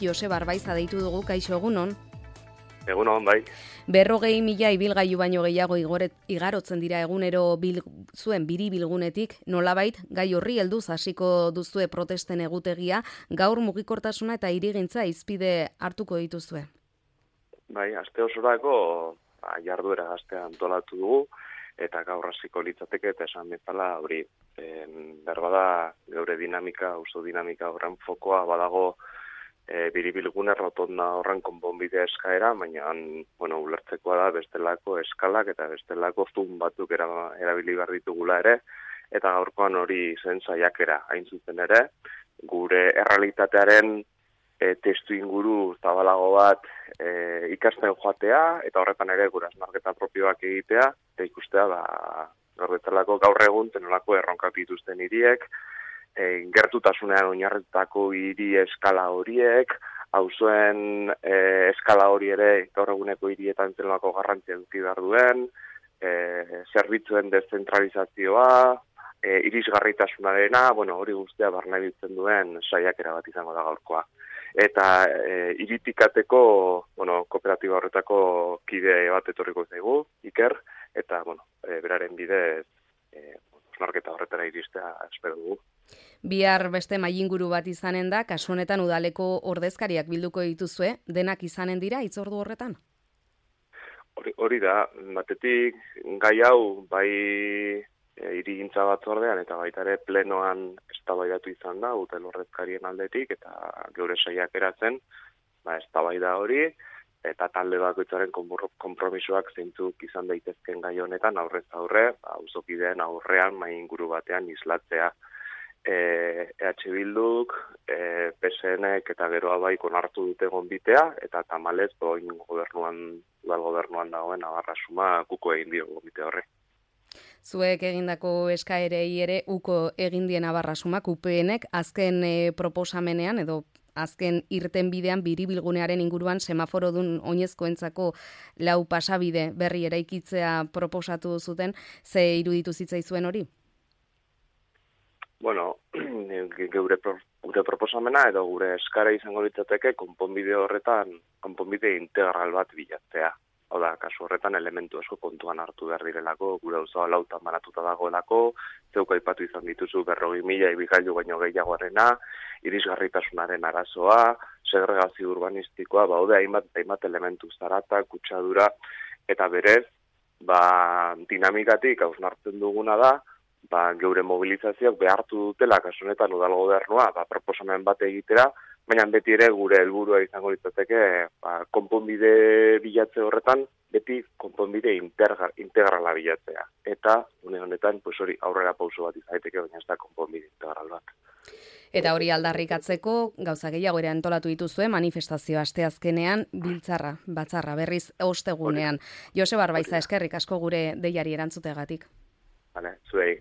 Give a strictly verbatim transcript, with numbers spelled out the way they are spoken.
Joseba Arbaiza deitu dugu, kaixo egunon. Egunon, bai. Berrogei mila ibilgailu baino gehiago igoret, igarotzen dira egunero bil, zuen biri bilgunetik, nolabait gai horri helduz hasiko duzue protesten egutegia, gaur mugikortasuna eta hirigintza hizpide hartuko dituzue. Bai, aste osorako ba, jarduera gaztea antolatu dugu, eta gaur hasiko litzateke eta esan bezala hori berbada geure dinamika, auzo dinamika horren fokoa badago e, biribilgune rotonda horren konponbidea eskaera, baina bueno, ulertzekoa da bestelako eskalak eta bestelako zoom batzuk era, erabili behar ditugula ere, eta gaurkoan hori zen saiakera hain zuzen ere, gure errealitatearen e, testu inguru zabalago bat e, ikasten joatea, eta horretan ere gure hausnarketa propioak egitea, eta ikustea ba, gaur bezalako gaur egun tenolako erronkak dituzten hiriek, e, gertutasunean oinarritutako hiri eskala horiek, auzoen e, eskala hori ere gaur eguneko hirietan tenolako garrantzia eduki behar duen, e, zerbitzuen deszentralizazioa, e, irisgarritasunarena, bueno, hori guztia barna biltzen duen saiakera bat izango da gaurkoa. Eta e, iritikateko, bueno, kooperatiba horretako kide bat etorriko zaigu, Iker, eta, bueno, e, beraren bidez, e, osnarketa horretara iristea espero dugu. Bihar beste mailinguru bat izanen da, kasu honetan udaleko ordezkariak bilduko dituzue, denak izanen dira hitzordu horretan? Hori, hori da, batetik gai hau bai e, hirigintza batzordean eta baita ere plenoan eztabaidatu izan da, udal ordezkarien aldetik eta geure saiakeratzen, ba eztabaida hori eta talde bakoitzaren konpromisoak zeintzuk izan daitezken gai honetan aurrez aurre, auzokideen aurrean mailinguru batean islatzea. E, EH Bilduk, e, P SNek eta geroa bai onartu dute gonbitea eta tamalez oin gobernuan, udal gobernuan dagoen abarrasuma kuko egin dio gonbite horre. Zuek egindako eskaerei ere uko egin dien abarrasumak U P Nek azken e, proposamenean edo azken irtenbidean biribilgunearen inguruan semaforodun oinezkoentzako lau pasabide berri eraikitzea proposatu zuten, ze iruditu zitzaizuen hori? Bueno, geure pro, gure proposamena edo gure eskara izango litzateke konponbide horretan, konponbide integral bat bilatzea. Hau da, kasu horretan elementu asko kontuan hartu behar direlako, gure auzoa lautan banatuta dagoelako, zeuk aipatu izan dituzu berrogei mila ibilgailu baino gehiagoarena, irisgarritasunaren arazoa, segregazio urbanistikoa, baude hainbat hainbat elementu zarata, kutsadura, eta berez, ba, dinamikatik hausnartzen duguna da, ba, geure mobilizazioak behartu dutela, kasu honetan udal gobernua, ba, proposamen bat egitera, baina beti ere gure helburua izango litzateke ba, konponbide bilatze horretan, beti konponbide integra, integrala bilatzea. Eta, une honetan, pues hori aurrera pauso bat izan daiteke, baina ez da konponbide integral bat. Eta hori aldarrikatzeko, gauza gehiago ere antolatu dituzue, manifestazio asteazkenean, biltzarra, batzarra, berriz ostegunean. Joseba Arbaiza, eskerrik asko gure deiari erantzutegatik. Vale, zuei.